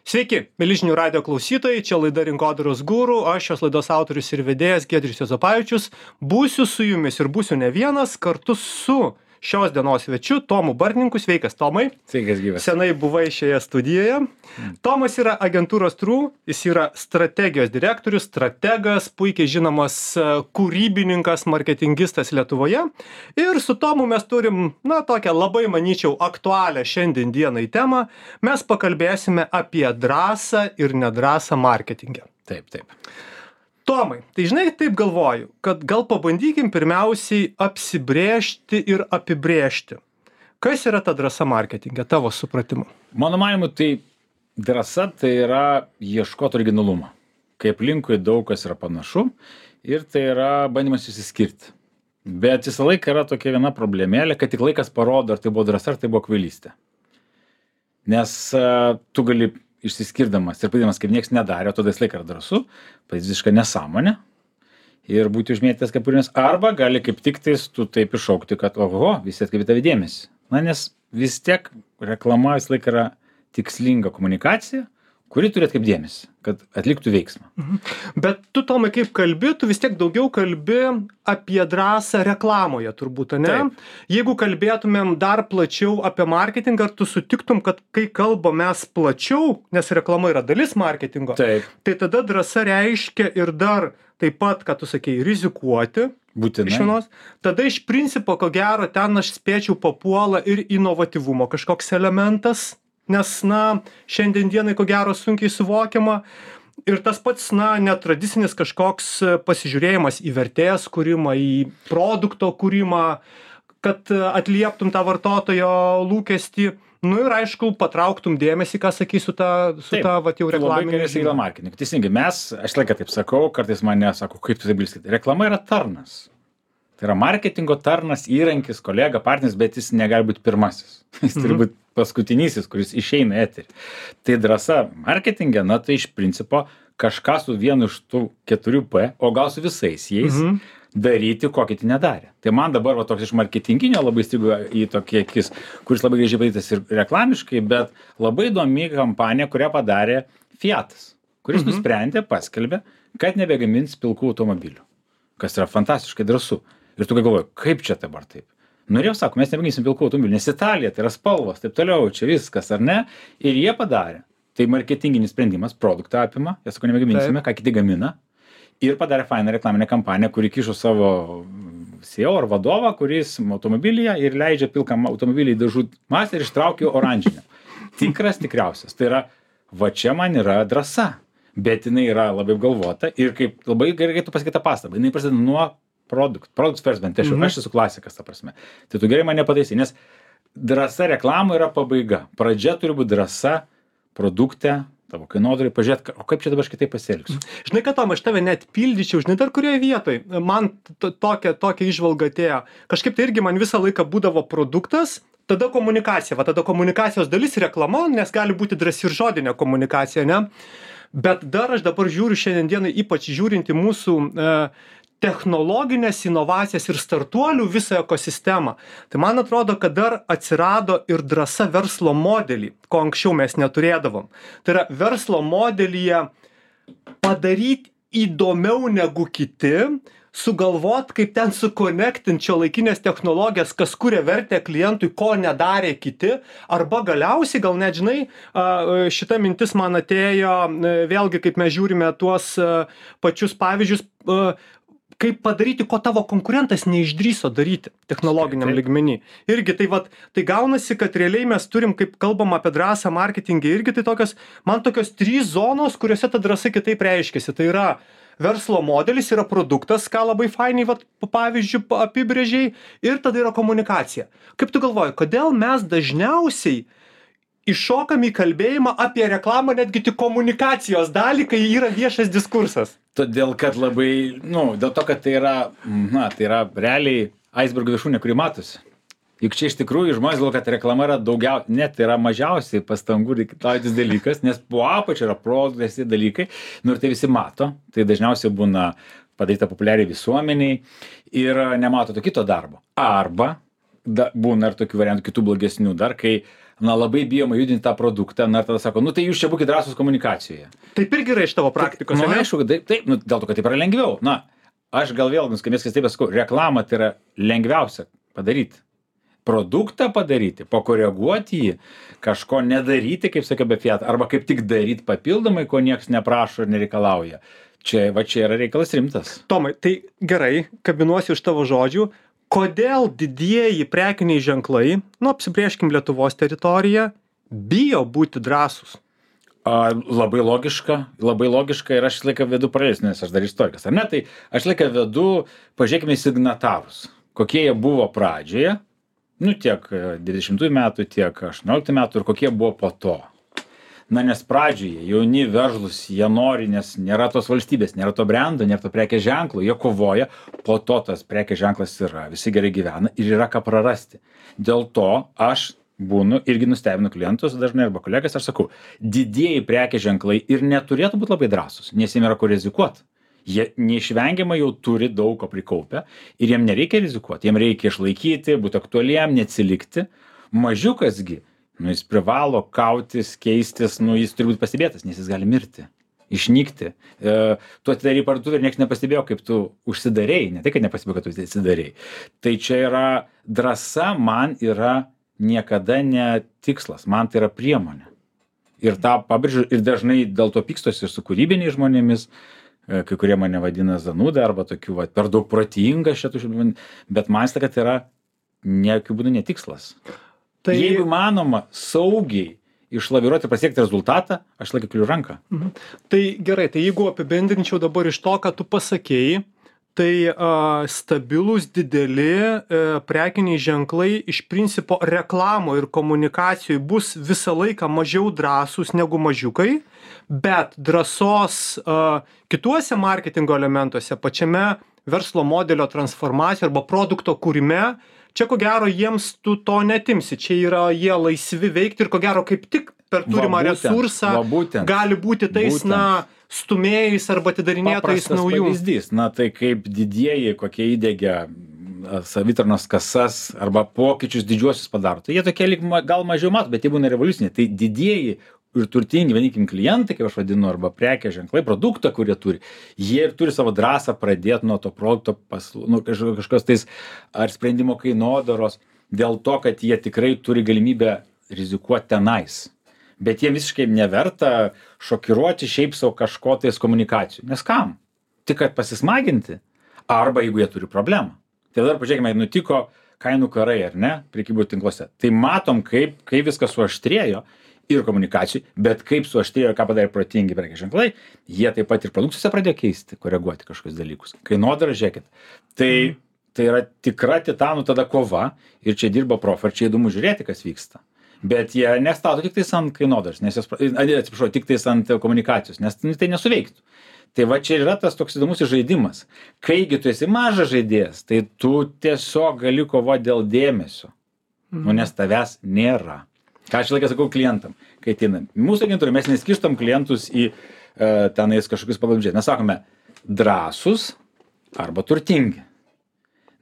Sveiki, mėly žinių radijo klausytojai, čia laida Rinkodaros guru, aš šios laidos autorius ir vedėjas Giedrius Juozapavičius. Būsiu su jumis ir būsiu ne vienas, kartu su šios dienos svečiu Tomu Bartninku. Sveikas, Tomai. Sveikas, gyvas. Senai buvai šioje studijoje. Tomas yra agentūros True, jis yra strategijos direktorius, strategas, puikiai žinomas kūrybininkas, marketingistas Lietuvoje. Ir su Tomu mes turim, tokią labai, manyčiau, aktualią šiandien dienai temą. Mes pakalbėsime apie drąsą ir nedrąsą marketingę. Taip. Tomai, tai žinai, taip galvoju, kad gal pabandykim pirmiausiai apsibrėžti ir apibrėžti. Kas yra ta drąsa marketinge, tavo supratimu? Mano manimu, tai drąsa tai yra ieškoti originalumo. Kai aplinkui daug kas yra panašu ir tai yra bandymas išsiskirti. Bet visą laiką yra tokia viena problemėlė, kad tik laikas parodo, ar tai buvo drąsa, ar tai buvo kvailystė. Nes tu gali išsiskirdamas ir padarydamas, kaip nieks nedarė, o tada visą laiką yra drąsu, padaryti visišką nesąmonę ir būti užmėtytas kepurėmis, arba gali kaip tik tais tu taip iššaukti, kad oho, visi atkreipia tave dėmesį. Nes vis tiek reklama visą laiką yra tikslinga komunikacija, kuri turi atkreipti dėmesį, kad atliktų veiksmą. Bet tu, Tomai, kaip kalbi, tu vis tiek daugiau kalbi apie drąsą reklamoje, turbūt, ne? Taip. Jeigu kalbėtumėm dar plačiau apie marketingą, ar tu sutiktum, kad kai kalbam mes plačiau, nes reklama yra dalis marketingo, Taip. tai tada drąsa reiškia ir dar taip pat, ką tu sakei, rizikuoti. Būtinai. Iš vienos. Tada iš principo, ko gero, ten aš spėčiau papuola ir inovatyvumo kažkoks elementas, nes, šiandien dienai, ko gero, sunkiai suvokiama. Ir tas pats, netradicinis kažkoks pasižiūrėjimas į vertės kūrimą, į produkto kūrimą, kad atlieptum tą vartotojo lūkestį. Ir aišku, patrauktum dėmesį, ką sakysiu, su vat jau reklaminė. Labai marketing. Teisingai, aš laiką taip sakau, kartais mane sako, kaip tu taip bilskit. Reklama yra tarnas. Tai yra marketingo tarnas, įrankis, kolega, partneris, bet jis negali būti pirmasis. Jis turi būti paskutinysis, kuris išeina į eterį. Tai drąsa marketinge, tai iš principo kažką su vienu iš tų 4P, o gal su visais jais, daryti, ko kiti nedarė. Tai man dabar toks iš marketinginio labai stigo į tokį akis, kuris labai gražiai padarytas ir reklamiškai, bet labai įdomi kampanija, kurią padarė Fiatas, kuris nusprendė, paskelbė, kad nebegamins pilkų automobilių, kas yra fantastiškai drąsu. Ir tu galvoji, kaip čia dabar taip? Norėjau, sako, mes nebeginsim pilkų automobilių, nes Italija, tai yra spalvos, taip toliau, čia viskas, ar ne? Ir jie padarė. Tai marketinginis sprendimas, produktą apima, jie sako, nebegaminsime, ką kiti gamina. Ir padarė fainą reklaminę kampaniją, kuri kišo savo CEO ar vadovą, kuris automobilyje ir leidžia pilkam automobilį į dažų masę ir ištraukia oranžinę. Tikriausias. Tai yra, va čia man yra drąsa, bet jinai yra labai apgalvota ir kaip labai gerai tu pasakei tą pastabą, jinai prasideda nuo product first, bent aš esu klasikas, ta prasme. Tai tu gerai mane pataisai, nes drąsa reklamų yra pabaiga. Pradžia turi būti drąsa produkte, tavo kainodarai, pažiūrėt, o kaip čia dabar aš kitaip pasielgsiu. Žinai, kad Tom, aš tave net pildyčiau, žinai, dar kurioje vietoje. Man tokia įžvalga atėjo. Kažkaip tai irgi man visą laiką būdavo produktas, tada komunikacija. Tada komunikacijos dalis reklama, nes gali būti drąsi ir žodinė komunikacija, ne? Bet dar aš dabar žiūriu šiandien dienai, ypač žiūrint į mūsų technologinės inovacijas ir startuolių visą ekosistemą. Tai man atrodo, kad dar atsirado ir drąsa verslo modelį, ko anksčiau mes neturėdavom. Tai yra verslo modelyje padaryti įdomiau negu kiti, sugalvot, kaip ten sukonektinti šiuolaikinės technologijas, kas kuria vertę klientui, ko nedarė kiti, arba galiausiai, gal net žinai, šita mintis man atėjo, vėlgi, kaip mes žiūrime tuos pačius pavyzdžius, kaip padaryti, ko tavo konkurentas neišdrįso daryti technologiniam lygmenį. Irgi tai gaunasi, kad realiai mes turim, kaip kalbam apie drąsą marketingą, irgi tai tokios 3 zonos, kuriuose ta drąsa kitaip reiškiasi. Tai yra verslo modelis, yra produktas, ką labai fainiai, pavyzdžiui, apibrėžiai, ir tada yra komunikacija. Kaip tu galvoji, kodėl mes dažniausiai iššokam į kalbėjimą apie reklamą netgi tik komunikacijos dalį, kai yra viešas diskursas? Todėl, kad labai, dėl to, kad tai yra realiai aisbergo viršūnė, kuri matosi. Juk čia iš tikrųjų žmonės galvoja, kad reklama yra tai yra mažiausiai pastangų reikalaujantis dalykas, nes po apačia yra produktas dalykai, ir tai visi mato, tai dažniausiai būna padaryta populiariai visuomeniai ir nemato to kito darbo. Arba būna ir tokių variantų, kitų blogesnių dar, kai labai bijoma judinti tą produktą, ir tada sako, nu tai jūs čia būkite drąsūs komunikacijoje. Taip irgi yra iš tavo praktikos, Nu, ane? aišku, taip, nu, dėl to, kad taip yra lengviau. Na, aš gal vėl nuskambės, kaip sakau, reklamą tai yra lengviausia padaryti. Produktą padaryti, pakoreguoti jį, kažko nedaryti, kaip sakiau, be fiat, arba kaip tik daryti papildomai, ko niekas neprašo ir nereikalauja. Čia yra reikalas rimtas. Tomai, tai gerai, kabinuosi iš tavo žodžių. Kodėl didieji prekiniai ženklai, nu apsibrėžkim Lietuvos teritoriją, bijo būti drąsūs? Labai logiška ir aš laiką vedu paralelius, nes aš dar istorikas, ar ne? Tai aš laiką vedu, pažiūrėkime į signatarus, kokie jie buvo pradžioje, nu tiek 20 metų, tiek 18 metų ir kokie buvo po to. Na, nes pradžioje jauni veržlus, jie nori, nes nėra tos valstybės, nėra to brendo, nėra to prekės ženklo, jie kovoja, po to tas prekės ženklas yra, visi gerai gyvena ir yra ką prarasti. Dėl to aš būnu irgi nustebinu klientus dažnai arba kolegas, aš sakau, didieji prekės ženklai ir neturėtų būti labai drąsūs, nes jiems yra ko rizikuoti. Jie neišvengiamai jau turi daug ko prikaupę ir jiem nereikia rizikuoti, jiem reikia išlaikyti, būti aktualiem, neatsilikti. Mažiukasgi, nu jis privalo kautis, keistis, nu jis turi būti pastebėtas, nes jis gali mirti, išnykti. Tu atidarai parduotuvę ir niekas nepastebėjo, kaip tu užsidarei, ne tai, kad nepastebėjo, kad tu atsidarei. Tai čia yra drąsa, man yra niekada ne tikslas, man tai yra priemonė. Ir tą pabrėžiu, ir dažnai dėl to pykstosi ir su kūrybiniais žmonėmis, kai kurie mane vadina zanūda arba tokiu, va, per daug protinga šitų, bet man tai, kad tai yra jokių būdų netikslas. Tai jeigu manoma saugiai išlaviruoti ir pasiekti rezultatą, aš laiką keliu ranką. Tai gerai, tai jeigu apibendrinčiau dabar iš to, ką tu pasakėjai, tai stabilūs dideli prekiniai ženklai iš principo reklamo ir komunikacijoj bus visą laiką mažiau drąsūs negu mažiukai, bet drąsos kituose marketingo elementuose, pačiame verslo modelio transformacijoje arba produkto kūrime, čia ko gero jiems tu to netimsi, čia yra jie laisvi veikti ir ko gero kaip tik per turimą resursą gali būti tais, na, stumėjais arba atidarinėtais naujų. Pavyzdys, na tai kaip didieji, kokie įdėgia savitarnos kasas arba pokyčius didžiuosius padaro. Tai jie tokie gal mažiau mato, bet jie būna revoliuciniai. Tai didieji ir turtingi, vadinkim, klientai, kaip aš vadinu, arba prekės ženklai, produktą, kurie turi, jie ir turi savo drąsą pradėti nuo to produkto kažkokios tais ar sprendimo kainodaros, dėl to, kad jie tikrai turi galimybę rizikuoti tenais. Bet jie visiškai neverta šokiruoti šiaip savo kažko tais komunikacijų. Nes kam? Tik kad pasismaginti, arba jeigu jie turi problemą. Tai dar pažiūrėkime, nutiko kainų karai, ar ne, prekybų tinkluose. Tai matom, kaip viskas suaštrėjo ir komunikacijų, bet kaip suaštrėjo, ką padarė protingi prekės ženklai, jie taip pat ir produkcijose pradėjo keisti, koreguoti kažkokius dalykus. Kainodarą, žiūrėkit. Tai yra tikra titanų tada kova ir čia dirba profai, ir čia įdomu žiūrėti, kas vyksta. Bet jie nestato tik tais ant kainodaros, atsiprašau, tik tais ant komunikacijos, nes tai nesuveiktų. Tai va čia yra tas toks įdomus žaidimas. Kaigi tu esi mažas žaidėjas, tai tu tiesiog gali kovoti dėl dėmesio, nes tavęs nėra. Ką aš laiką sakau klientam, kai ateinam. Mūsų agentūrai mes neskirstam klientus į tenais kažkokius pagal biudžetą. Mes sakome drąsus arba turtingi.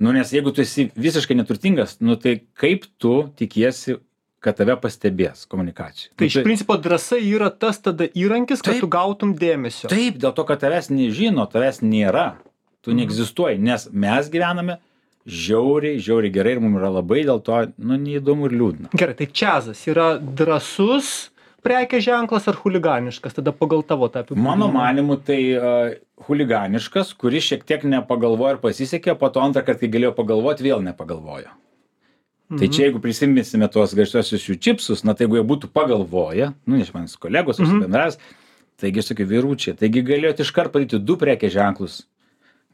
Nu, nes jeigu tu esi visiškai neturtingas, nu tai kaip tu tikiesi, kad tave pastebės komunikacijai. Tai iš principo drąsa yra tas tada įrankis, kad tu gautum dėmesio. Taip, dėl to, kad tavęs nežino, tavęs nėra, tu neegzistuoji, nes mes gyvename žiauriai gerai ir mums yra labai dėl to, nu, neįdomu ir liūdna. Gerai, tai čiazas yra drąsus prekės ženklas ar chuliganiškas, tada pagal tavo tą apibūdinimą? Mano manimu, tai chuliganiškas, kuris šiek tiek nepagalvojo ir pasisekė, po to antrą kartą, kai galėjo pagalvoti, vėl nepagalvojo. Tai čia jeigu prisiminsime tuos garsiuosius jų čipsus, na tai jeigu jie būtų pagalvoję, nu, nes manis kolegos, bendras, taigi sakai, vyručiai, taigi galėjot iškart padaryti 2 prekės ženklus.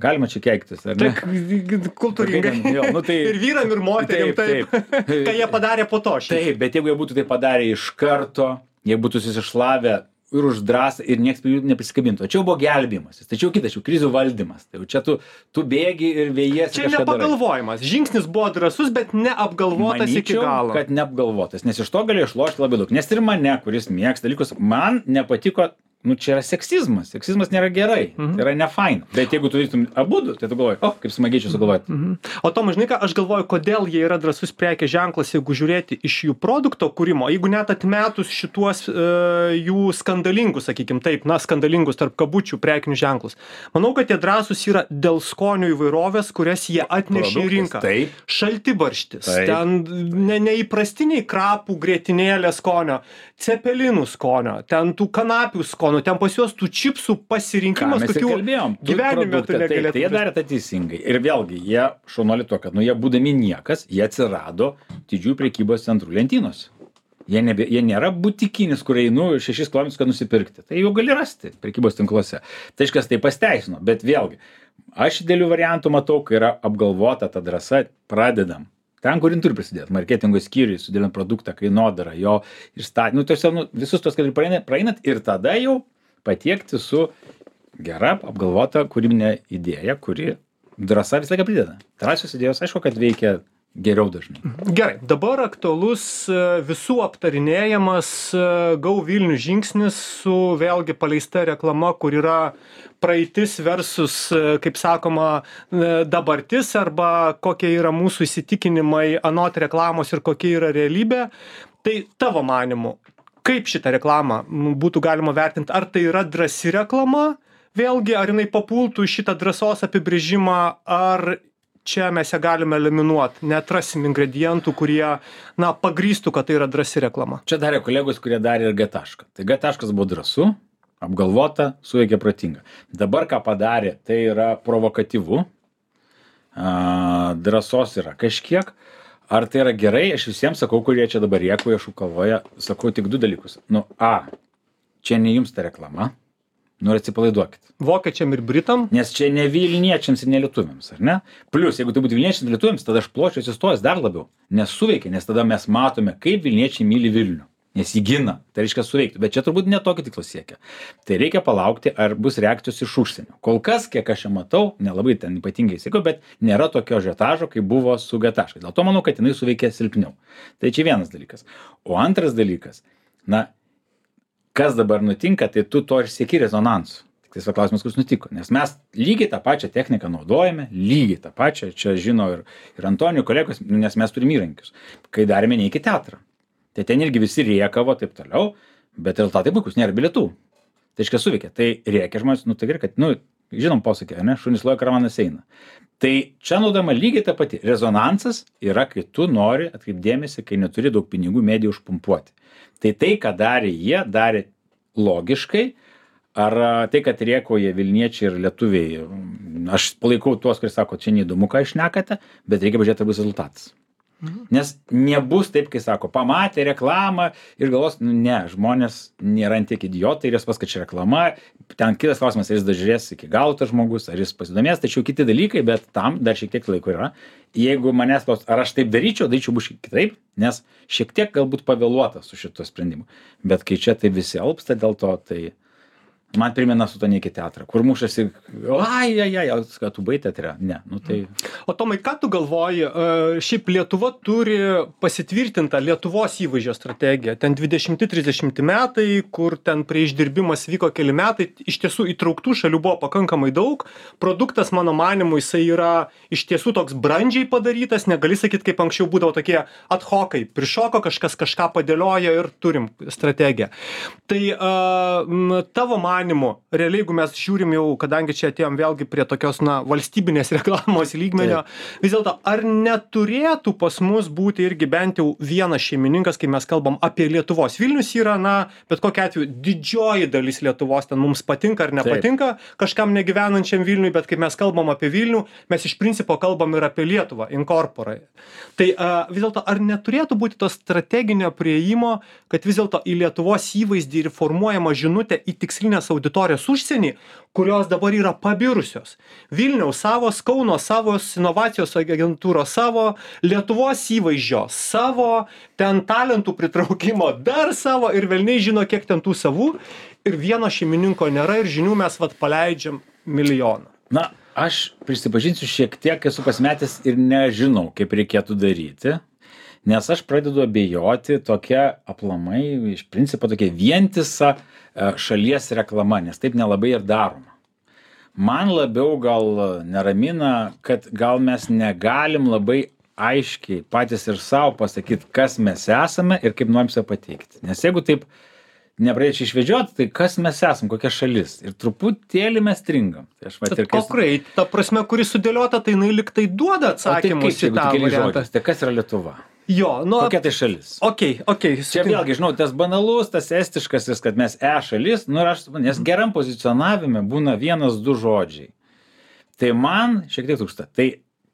Galima čia keiktis, ar ne? Taip, kultūringai. Nu, tai, ir vyram, ir moterim, taip. Ką jie padarė po to. Taip, bet jeigu jie būtų tai padarę iš karto, jie būtų susišlavę ir už drąsą ir nieks prie jų neprisikabintų. Čia jau buvo gelbėjimasis, tačiau kitas, jau krizių valdymas. Tai čia tu bėgi ir vėjiesi. Čia nepagalvojimas. Žingsnis buvo drąsus, bet neapgalvotas iki galo. Kad neapgalvotas, nes iš to galėjo išlošti labai daug. Nes ir mane, kuris mėgsta dalykus, man nepatiko, čia yra seksizmas. Seksizmas nėra gerai, tai yra nefaina. Bet jeigu tu darytum abudu, tai tu galvoji, kaip smagiai čia sugalvoti. O Tomai, žinai ką, aš galvoju, kodėl jie yra drąsus prekės ženklas, jeigu žiūrėti iš jų produkto kūrimo, jeigu net atmetus šituos jų skandalingus, sakykim taip, skandalingus tarp kabučių prekinių ženklus. Manau, kad jie drąsus yra dėl skonių įvairovės, kurias jie atnešė į rinką. Taip. Šaltibarštis, ten neįprastiniai krapų grietinėlė skonio, cepelinų skonio, ten tų kanapių skonio, ten pas juos tų čipsų pasirinkimas, kokių gyvenime tu negalėtum. Tai jie darė tą teisingai. Ir vėlgi, jie šaunuoli to, kad jie būdami niekas, jie atsirado didžiųjų prekybos centrų lentynose. Jie nėra butikinis, kur einu 6 km, kad nusipirkti. Tai jau gali rasti prekybos tinkluose. Tai iškas tai pasteisino. Bet vėlgi, aš dėlių variantų matau, kai yra apgalvota ta drąsa, pradedam. Ten, kur turi prisidėti, marketingo skyriui, sudėliant produktą, kainodarą, jo išstatymą, visus tos, kad praeinat ir tada jau patiekti su gera apgalvota kūrybinė idėja, kuri drąsa visą laiką prideda. Drąsios idėjos, aišku, kad veikia geriau dažnai. Gerai, dabar aktualus visų aptarinėjamas Go Vilnius žingsnis su vėlgi paleista reklama, kur yra praeitis versus, kaip sakoma, dabartis arba kokie yra mūsų įsitikinimai anot reklamos ir kokia yra realybė. Tai tavo manimu, kaip šitą reklamą būtų galima vertinti? Ar tai yra drąsi reklama? Vėlgi, ar jinai papultų į šitą drąsos apibrėžimą, ar čia mes ją galime eliminuoti, neatrasim ingredientų, kurie, pagrįstų, kad tai yra drąsi reklama. Čia darė kolegos, kurie darė ir G tašką. Tai G taškas buvo drąsu, apgalvota, suveikė protinga. Dabar ką padarė, tai yra provokatyvu, drąsos yra kažkiek. Ar tai yra gerai, aš visiems sakau, kurie čia dabar rėkuoja, šūkavoja, sakau tik 2 dalykus. Čia ne jums ta reklama. Ir atsipalaiduokit. Vokiečiam ir Britam? Nes čia ne Vilniečiams ir ne lietuviams, ar ne? Plius, jeigu tai būtų Vilniečiams ir lietuviams, tada aš pločiau atsistojęs dar labiau. Nes suveikia, nes tada mes matome, kaip Vilniečiai myli Vilnių. Nes jį gina, tai reiškia suveikti. Bet čia turbūt ne tokį tikslą siekia. Tai reikia palaukti, ar bus reakcijos iš užsienio. Kol kas, kiek aš čia matau, nelabai ten ypatingai sėkiau, bet nėra tokio žetažo, kaip buvo su G taškas. Dėl to manau, kad jinai suveikė silpniau. Tai čia vienas dalykas. O antras dalykas, kas dabar nutinka, tai tu to ir sieki rezonansu. Tik tai klausimas, kas nutiko. Nes mes lygiai tą pačią techniką naudojame, lygiai tą pačią, čia žino ir Antonijų kolegos, nes mes turime įrankius. Kai darėme Neik į teatrą. Tai ten irgi visi rėkavo, taip toliau, bet rezultatai puikus, nėra bilietų. Tai iškia suveikia. Tai rėkia žmonės, tai gerai, kad, žinom posakį, ne, šunys loja, karavanas eina. Tai čia naudojama lygiai ta pati. Rezonansas yra, kai tu nori atkreipdėmėsi, kai neturi daug pinigų medijų užpumpuoti. Tai, ką darė jie, darė logiškai, ar tai, kad rėkauja Vilniečiai ir lietuviai, aš palaikau tuos, kurie sako, čia neįdomu, ką išnekate, bet reikia pažiūrėti, ar bus rezultatas. Nes nebus taip, kai sako, pamatė reklamą ir galvos, ne, žmonės nėra tiek idiotai ir jis pas, kad čia reklama, ten kitas klausimas, ar jis dažiūrės iki galo tas žmogus, ar jis pasidomės, tačiau kiti dalykai, bet tam dar šiek tiek laiko yra. Jeigu manęs klaus, ar aš taip daryčiau bus kitaip, nes šiek tiek galbūt pavėluota su šituo sprendimu. Bet kai čia tai visi alpsta dėl to, tai man primena su to Neik į teatrą, kur mušasi, kad tu bai teatre. Ne, tai... O Tomai, ką tu galvoji, šiaip Lietuva turi pasitvirtintą Lietuvos įvaizdžio strategiją. Ten 20-30 metai, kur ten prie išdirbimas vyko keli metai, iš tiesų įtrauktų šalių buvo pakankamai daug. Produktas, mano manimu, jisai yra iš tiesų toks brandžiai padarytas, negali sakyti, kaip anksčiau būdavo tokie ad hocai, prišoko kažkas kažką padėlioja ir turim strategiją. Tai tavo manimu, realiai, jeigu mes žiūrim jau, kadangi čia atėjom vėlgi prie tokios, valstybinės reklamos lygmenio, vis dėlto, ar neturėtų pas mus būti irgi bent jau vienas šeimininkas, kai mes kalbam apie Lietuvos? Vilnius yra, bet kokiu atveju, didžioji dalis Lietuvos, ten mums patinka ar nepatinka, kažkam negyvenančiam Vilniui, bet kai mes kalbam apie Vilnių, mes iš principo kalbam ir apie Lietuvą, inkorporai. Tai vis dėlto, ar neturėtų būti to strateginio prieimo, kad vis dėlto į Lietuvos įvaizdį ir formuojama žinutė į tikslinės auditorijos užsienį, kurios dabar yra pabirusios. Vilniaus savo, Kauno savo, inovacijos agentūros savo, Lietuvos įvaizdžio savo, ten talentų pritraukimo dar savo ir velniai žino, kiek ten tų savų. Ir vieno šeimininko nėra ir žinių mes paleidžiam milijoną. Aš prisipažinsiu, šiek tiek esu pasimetęs ir nežinau, kaip reikėtų daryti. Nes aš pradedu abejoti tokia aplamai, iš principo tokia vientisa šalies reklama, nes taip nelabai ir daroma. Man labiau gal neramina, kad gal mes negalim labai aiškiai patys ir savo pasakyti, kas mes esame ir kaip norim save pateikti. Nes jeigu taip nepradėčiau išvedžioti, tai kas mes esam, kokia šalis. Ir truputėlį mes stringam. Tai aš Bet konkrei, ta prasme, kuri sudėliota, tai jinai lyg tai duoda atsakymus į tą variantą. Tai kas yra Lietuva? Jo, nu... Kokia tai šalis? Okay. Čia vėlgi, žinau, tas banalus, tas estiškas, kad mes šalis, nu ir aš, nes geram pozicionavime būna 1-2 žodžiai. Tai man šiek tiek trūksta. Tai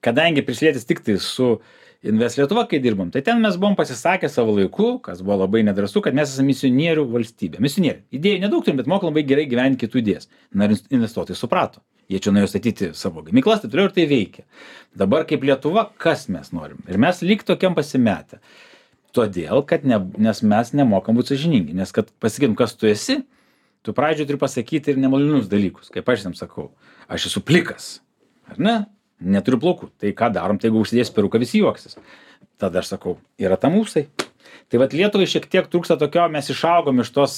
kadangi prisilietis tik tai su Invest Lietuva, kai dirbom, tai ten mes buvom pasisakę savo laiku, kas buvo labai nedrąsu, kad mes esame misionierių valstybė. Misionieriai. Idėjų nedaug turim, bet mokam labai gerai gyventi kitų idėjas. Na ir investuotojai suprato. Jie čia nuėjo statyti savo gamyklas, tai toliau ir tai veikia. Dabar kaip Lietuva, kas mes norim? Ir mes lyg tokiam pasimetę. Todėl, kad nes mes nemokam būti sąžiningi. Nes kad pasakytum, kas tu esi, tu pradžioje turi pasakyti ir nemalonius dalykus. Kaip aš jam sakau, aš esu plikas. Ar ne? Neturiu plaukų. Tai ką darom, tai jeigu užsidės peruką, visi juoksis. Tada aš sakau, yra tam ūsai. Tai vat Lietuvai šiek tiek trūksta tokio, mes išaugom iš tos,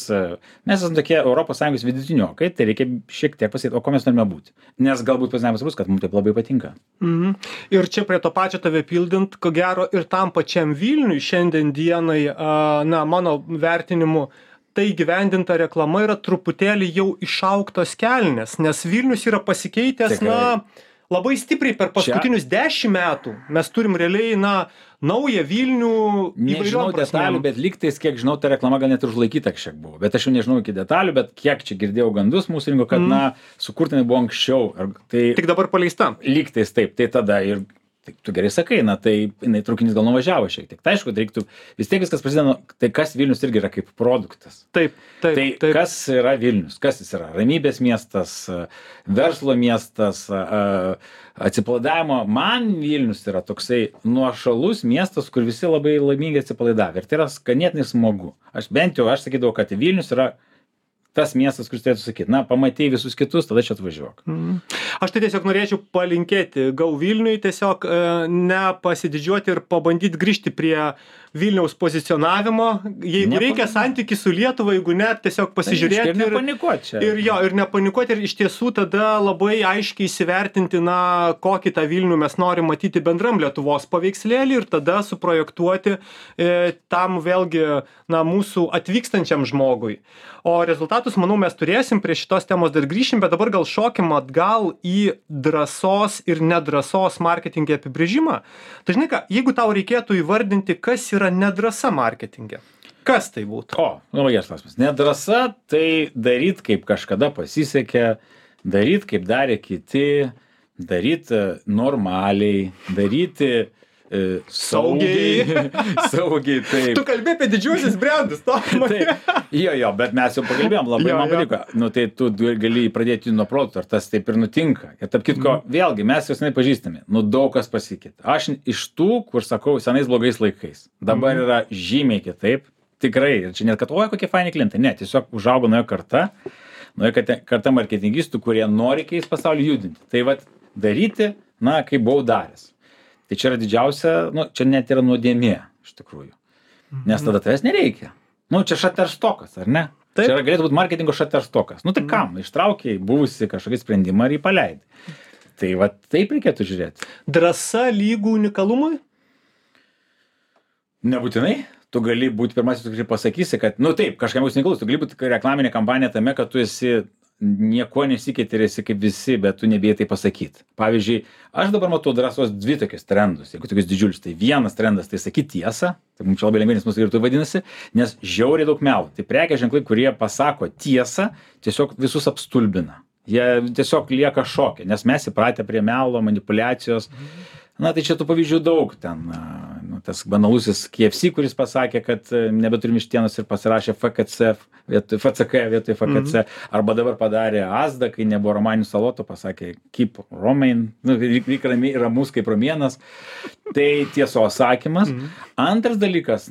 mes esame tokie ES vidutiniokai, tai reikia šiek tiek pasakyti, o ko mes norime būti. Nes galbūt pasinavimas bus, kad mums taip labai patinka. Ir čia prie to pačio tave pildint, ko gero ir tam pačiam Vilniui šiandien dienai, mano vertinimu, tai gyvendinta reklama yra truputėlį jau išaugtos kelnes, nes Vilnius yra pasikeitęs, labai stipriai per paskutinius 10 metų. Mes turim realiai, naują Vilnių nežinau detalių, bet lygtais, kiek žinau, ta reklama gal net ir užlaikyta kažkiek buvo. Bet aš jau nežinau iki detalių, bet kiek čia girdėjau gandus mūsų rinko, kad, sukurtinai buvo anksčiau. Tai tik dabar paleista. Lygtais taip, tai tada ir tai tu gerai sakai, tai jinai traukinys gal nuvažiavo šiek tiek. Tai aišku, reiktų, vis tiek viskas prasideda, tai kas Vilnius irgi yra kaip produktas. Taip. Kas yra Vilnius? Kas jis yra? Ramybės miestas, verslo miestas, atsipalaidavimo. Man Vilnius yra toksai nuošalus miestas, kur visi labai laimingai atsipalaidavę. Ir tai yra ganėtinai smagu. Aš sakydavau, kad Vilnius yra tas miestas, kuris turėtų sakyti, pamatei visus kitus, tada čia atvažiuok. Aš tai tiesiog norėčiau palinkėti Go Vilniui, tiesiog nepasididžiuoti ir pabandyti grįžti prie Vilniaus pozicionavimo. Jeigu reikia santykį su Lietuva, jeigu ne, tiesiog pasižiūrėti. Ir nepanikuoti čia. Ir nepanikuoti ir iš tiesų tada labai aiškiai įsivertinti, kokį tą Vilnių mes norim matyti bendram Lietuvos paveikslėlį ir tada suprojektuoti tam vėlgi mūsų atvykstančiam žmogui. O rezultatus, manau, mes turėsim, prie šitos temos dar grįšim, bet dabar gal šokim atgal į drąsos ir nedrąsos marketinge apibrėžimą. Tai žinai ką, jeigu tau reikėtų įvardinti, kas yra nedrąsa marketinge, kas tai būtų? Labai geras klausimas. Nedrąsa tai daryt, kaip kažkada pasisekė, daryt, kaip darė kiti, daryt normaliai, daryti saugiai, taip. Tu kalbė apie didžiuosius brandus, to? Jo, bet mes jau pakalbėjom, labai man patiko. Tai tu gali pradėti nuo produkto, ar tas taip ir nutinka. Ir tarp kitko, vėlgi, mes jau senai pažįstami, daug kas pasikeitė. Aš iš tų, kur sakau, senais blogais laikais. Dabar yra žymiai kitaip, tikrai. Ir čia net, kad, kokie faini klientai. Ne, tiesiog užaugo nauja karta marketingistų, kurie nori keisti pasaulį, judinti. Tai vat daryti, kaip buvau daręs. Tai čia yra didžiausia, čia net yra nuodėmė, iš tikrųjų. Nes tada tavęs nereikia. Čia šaterstokas, ar ne? Taip. Čia galėtų būti marketingo šaterstokas. Tai kam? Ištraukiai buvusi kažkokį sprendimą ir jį paleidai. Tai taip reikėtų žiūrėti. Drąsa lygų unikalumui? Nebūtinai. Tu gali būti pirmasis, tu pasakysi, kad, taip, kažkam bus unikalus. Tu gali būti reklaminė kampanija tame, kad tu esi nieko nesikeiti ir esi kaip visi, bet tu nebijai tai pasakyti. Pavyzdžiui, aš dabar matau drąsos 2 tokius trendus, jeigu tokius didžiulius. Tai vienas trendas, tai sakyti tiesą, tai mums čia labai lengvinis mūsų ir tai vadinasi, nes žiauriai daug melų. Tai prekės ženklai, kurie pasako tiesą, tiesiog visus apstulbina. Jie tiesiog lieka šoke, nes mes įpratę prie melo, manipulacijos. Tai čia tų pavyzdžių daug ten. Tas banalusis KFC, kuris pasakė, kad nebeturim vištienos ir pasirašė FCK vietoj FKC. Arba dabar padarė Asda, kai nebuvo romaninių salotų, pasakė keep romain, lyg ramus kaip romėnas. Tai tiesos sakymas. Antras dalykas,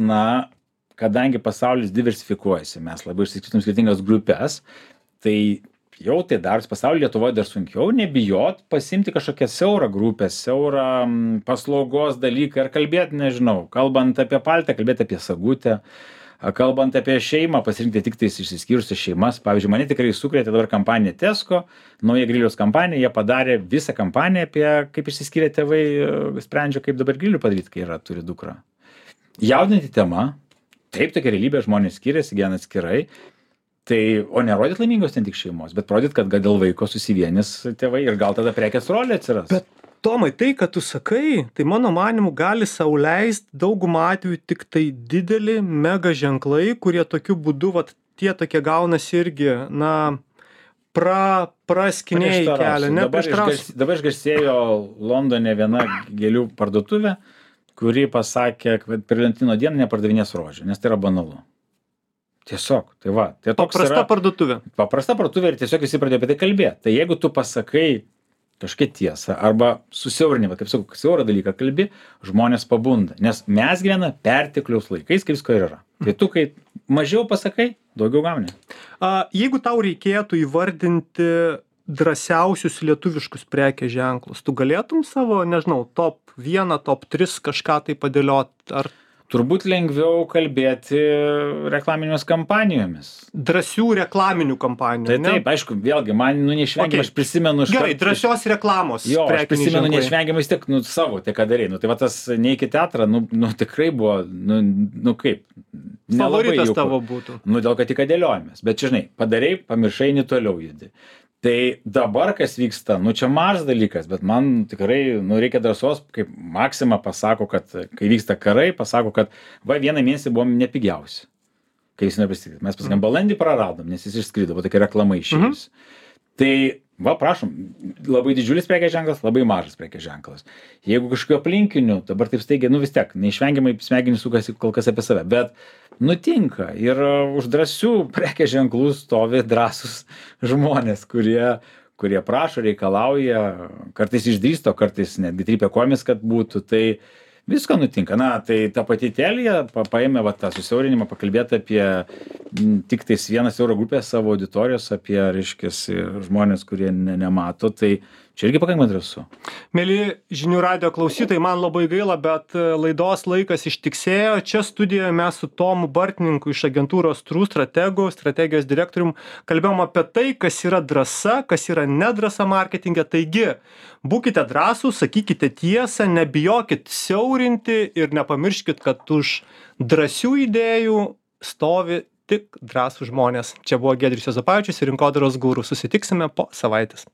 kadangi pasaulis diversifikuojasi, mes labai išsiskirtum skirtingas grupės, tai jau tai darosi pasaulyje, Lietuvoje dar sunkiau, nebijot pasimti kažkokią siaurą grupę, siaurą paslaugos dalyką ir kalbėti, nežinau, kalbant apie paltę, kalbėti apie sagutę, kalbant apie šeimą, pasirinkti tik tais išsiskyrusias šeimas. Pavyzdžiui, mane tikrai sukrėtė dabar kampanija Tesco, nauja griliaus kampanija, jie padarė visą kampaniją apie kaip išsiskyrę tėvai sprendžia, kaip dabar grilių padaryti, kai turi dukrą. Jaudinti tema, taip, tokia realybė, žmonės skiriasi, gyvena atskirai. Tai, o nerodyt laimingos ten tik šeimos, bet rodyt, kad dėl vaiko susivienis tėvai ir gal tada prekės rolė atsiras. Bet Tomai, tai, kad tu sakai, tai mano manimu gali sau leist daugumą atvejų tik tai dideli mega ženklai, kurie tokiu būdu, vat, tie tokie gaunasi irgi, na, praskinėjai kelią. Dabar išgarsėjo Londone viena gėlių parduotuvė, kuri pasakė, kad per Valentino dieną nepardavinės rožių, nes tai yra banalu. Tiesiog, tai va. Tai paprasta parduotuvė. Paprasta parduotuvė ir tiesiog visi pradėjo apie tai kalbėti. Tai jeigu tu pasakai kažkokią tiesą arba susiaurinimą, kaip sakau, siaurą dalyką kalbi, žmonės pabunda. Nes mes gyvename pertekliaus laikais, kaip visko ir yra. Tai tu, kai mažiau pasakai, daugiau gauni. Jeigu tau reikėtų įvardinti drąsiausius lietuviškus prekės ženklus, tu galėtum savo, nežinau, top 1, top 3 kažką tai padėliot? Ar turbūt lengviau kalbėti reklaminėmis kampanijomis. Drąsių reklaminių kampanijų. Tai taip, aišku, vėlgi, man neišvengiamai, aš prisimenu... Gerai, drąsios reklamos. Jo, aš prisimenu neišvengiamai vis tiek, savo, tai ką darei. Tai va tas neik į teatrą, tikrai buvo, kaip. Favoritas tavo būtų. Dėl kad tik dėliojamės. Bet čia, žinai, padarei, pamiršai, toliau judi. Tai dabar, kas vyksta, čia mažas dalykas, bet man tikrai, reikia drąsos, kaip Maxima pasako, kad kai vyksta karai, pasako, kad vieną mėnesį buvom nepigiausi. Kai jis nepristatyti. Mes pasakėm, balandį praradom, nes jis išskrido, tokia reklama išėjus. Tai, prašom, labai didžiulis prekės ženklas, labai mažas prekės ženklas. Jeigu kažkokiu aplinkiniu, dabar taip staigiai, vis tiek, neišvengiamai smegenys sukasi kol kas apie save, bet nutinka ir už drąsių prekės ženklų stovi drąsūs žmonės, kurie prašo, reikalauja, kartais išdrįsto, kartais netgi trypia kojomis, kad būtų, tai visko nutinka. Tai ta pati Telia paėmė tą susiaurinimą, pakalbėti apie tik tais vieną siaurą grupę savo auditorijos, apie, reiškiasi, žmonės, kurie nemato, tai čia irgi pakankamai drąsu. Mėly žinių radijo klausytojai, man labai gaila, bet laidos laikas ištiksėjo. Čia studijoje mes su Tomu Bartninku iš agentūros True Strategu, strategijos direktorium, kalbėjom apie tai, kas yra drąsa, kas yra nedrąsa marketinge. Taigi, būkite drąsūs, sakykite tiesą, nebijokit siaurinti ir nepamirškit, kad už drąsių idėjų stovi tik drąsūs žmonės. Čia buvo Giedrius Juozapavičius ir Rinkodaros guru. Susitiksime po savaitės.